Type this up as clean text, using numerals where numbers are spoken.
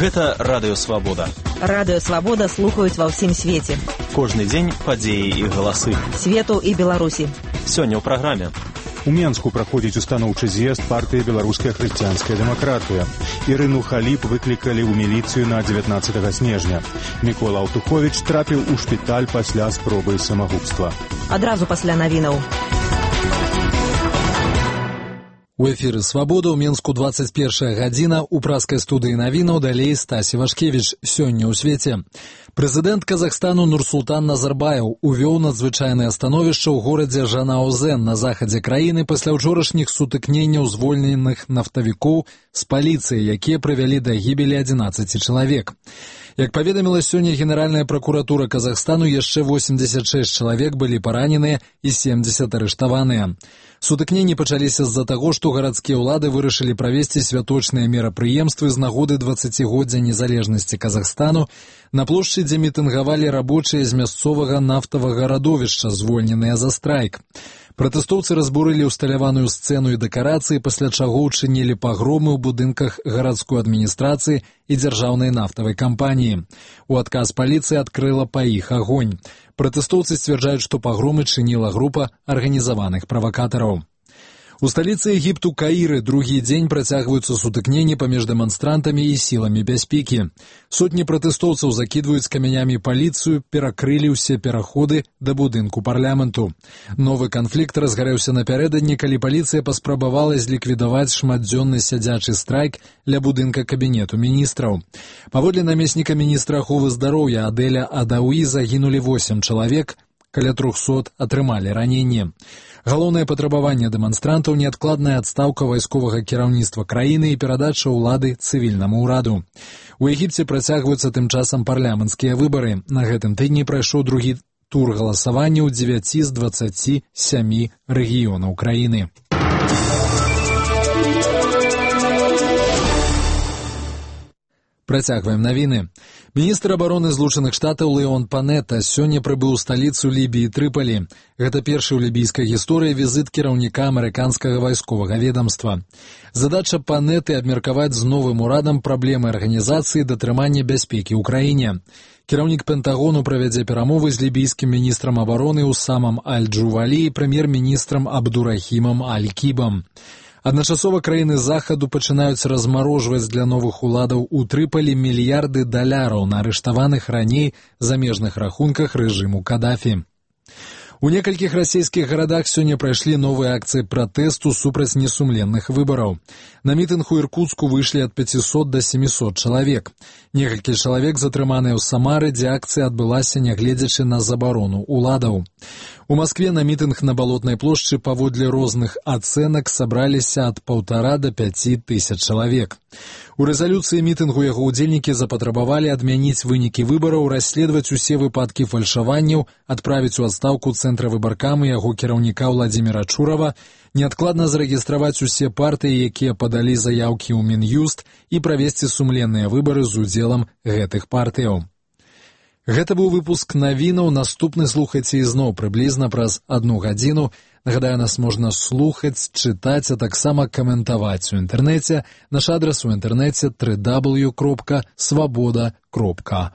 Гэта Радыё Свабода. Радыё Свабода слухаюць ва ўсім свеце. Кожны дзень падзеі і галасы. Свету і Беларусі. Сёння ў праграме. У Менску праходзіць устаноўчы з'езд партыі «Беларуская хрысціянская дэмакратыя». Ірыну Халіп выклікалі ў міліцыю на 19 снежня. Мікола Алтуховіч трапіў у шпіталь пасля спробы самагубства. Адразу пасля навінаў. У эфіры «Свабода» ў Менску 21 гадзіна. У праскай студыі навінаў далей Стасі Вашкевіч. Сёння ў свеце. Прэзідэнт Казахстану Нурсултан Назарбаев увёў надзвычайнае становішча ў горадзе Жанаузен на захадзе краіны пасля ўчорашніх сутыкненняў звольненых нафтавікоў з паліцыяй, якія прывялі да гібелі 11 чалавек. Як паведаміла сёння Генеральная пракуратура Казахстану, яшчэ 86 чалавек былі параненыя і 70 арыштаваныя. Сутыкненні пачаліся з-за таго, што гарадскія ўлады вырашылі правесці святочныя мерапрыемствы з нагоды 20годдзя незалежнасці Казахстану на плошчы, дзе мітынгавалі рабочыя з мясцовага нафтавага радовішча, звольненыя за страйк. Пратэстоўцы разбурылі ўсталяваную сцэну і дэкарацыі, пасля чаго ўчынілі пагромы ў будынках гарадской адміністрацыі і дзяржаўнай нафтавай кампаніі. У адказ паліцыя адкрыла па іх агонь. Пратэстоўцы сцвярджаюць, што пагромы чыніла група арганізаваных правакатараў. У сталіцы Егіпту Каіры другі дзень працягваюцца сутыкненні паміж дэманстрантамі і сіламі бяспекі. Сотні пратэстоўцаў закідваюць камянямі паліцыю, перакрылі ўсе пераходы да будынку парламенту. Новы канфлікт разгарэўся напярэдадні, калі паліцыя паспрабавала зліквідаваць шматдзённы сядзячы страйк ля будынка кабінету міністраў. Паводле намесніка міністра аховы здароўя Адэля Адауі загінулі 8 чалавек, каля 300 атрымалі раненне. Галоўнае патрабаванне дэманстрантаў — неадкладная адстаўка вайсковага кіраўніцтва краіны і перадача ўлады цывільнаму ўраду. У Егіпце працягваюцца тым часам парламенцкія выбары. На гэтым тыдні прайшоў другі тур галасавання ў 9 з 27 рэгіёнаў краіны. Працягваем навіны. Міністр абароны Злучаных Штатаў Леон Панета сёння прыбыў у сталіцу Лібіі Трыполі. Гэта першы ў лібійскай гісторыі візіт кіраўніка амерыканскага вайсковага ведамства. Задача Панеты — абмеркаваць з новым урадам праблемы арганізацыі датрымання бяспекі ў краіне. Кіраўнік Пентагону правядзе перамовы з лібійскім міністрам абароны Усамам Аль-Джувалі і прэм'ер-міністрам Абдурахімам Аль-Кібам. Адначасова краіны захаду пачынаюць размарожваць для новых уладаў у Трыполі мільярды даляраў на арыштаваных раней замежных рахунках рэжыму Кадафі. У некалькіх расійскіх гарадах сёння прайшлі новыя акцыі пратэсту супраць несумленных выбараў. На мітынг у Іркуцку выйшлі ад 500 да 700 чалавек. Некалькі чалавек затрыманыя ў Самары, дзе акцыя адбылася нягледзячы на забарону уладаў. У Маскве на мітынг на Балотнай плошчы паводле розных ацэнак сабраліся ад 1,5 да 5 тысяч чалавек. У рэзалюцыі мітынгу яго ўдзельнікі запатрабавалі адмяніць вынікі выбараў, расследаваць усе выпадкі фальшаванняў, адправіць у адстаўку цэнтра выбаркам і яго кіраўніка Владзіміра Чурава, неадкладна зарэгістраваць усе партыі, якія падалі заяўкі ў Мін'юст, і правесці сумленныя выбары з удзелам гэтых партыяў. Гэта быў выпуск навінаў. Наступны слухайце ізноў прыблізна праз 1 гадзіну. Нагадаю, нас можна слухаць, чытаць, а таксама каментаваць у інтэрнэце. Наш адрас у інтэрнэце www.swaboda.org.